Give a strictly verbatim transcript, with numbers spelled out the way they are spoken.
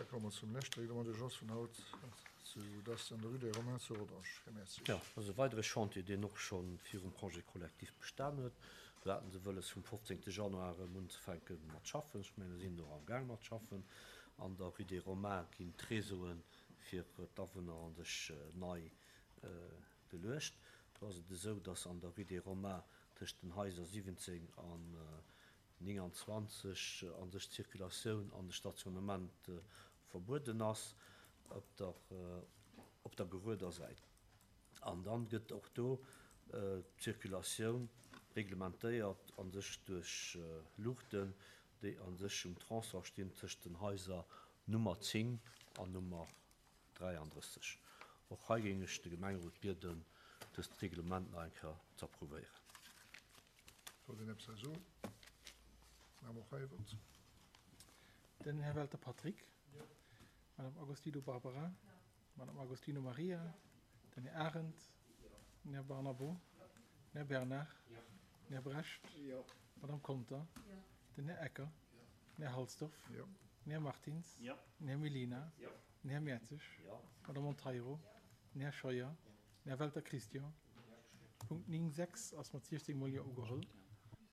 Da komme mer zum leschte Règlement d'urgence vun haut, dat ass an der Rue des Romains zu Rodange. Här Mertzig. Jo, dat ass e weidere Chantier, deen och scho virum Congé collectif bestan huet. Do hate se wëlles, vum fofzéngte Januar erëm unzefänke mat schaffen. Ech mengen, se sinn och amgaang mat schaffen. An der Rue des Romains ginn d'Réseaue fir d'Awunner a sech nei geluecht. Do ass et esou, dass an der Rue des Romains tëscht den Haiser siwwenzéng an nénganzwanzeg a sech d'Circulatioun an de Stationnement verbueden ass op der op der gerueder Säit. An dann gëtt och do d'Circulatioun reglementéiert a sech duerch Luuchten, déi a sech um Tronçon stinn tëscht den Haiser Nummer zéng an Nummer dräiandrësseg. Och hei géing ech de Gemengerot bieden, dëst Reglement nach eng Kéier z'approuvéieren. Wollt een eppes hei soen? Maache mer och hei e Vott. Den Här Welter Patrick. Madame Agostino Barbara. Madame Agostino Maria. Den Här Arendt. Den Här Barnabo. Den Här Bernard. Den Här Brecht. Madame Conter. Den Här Ecker. Den Här Halsdorf. Den Här Martins. Den Här Mellina. Den Här Mertzig. Madame Monteiro. Den Här Scheuer. Den Här Welter Christian. Punkt néng sechs ass mat siechzéng mol Jo ugeholl.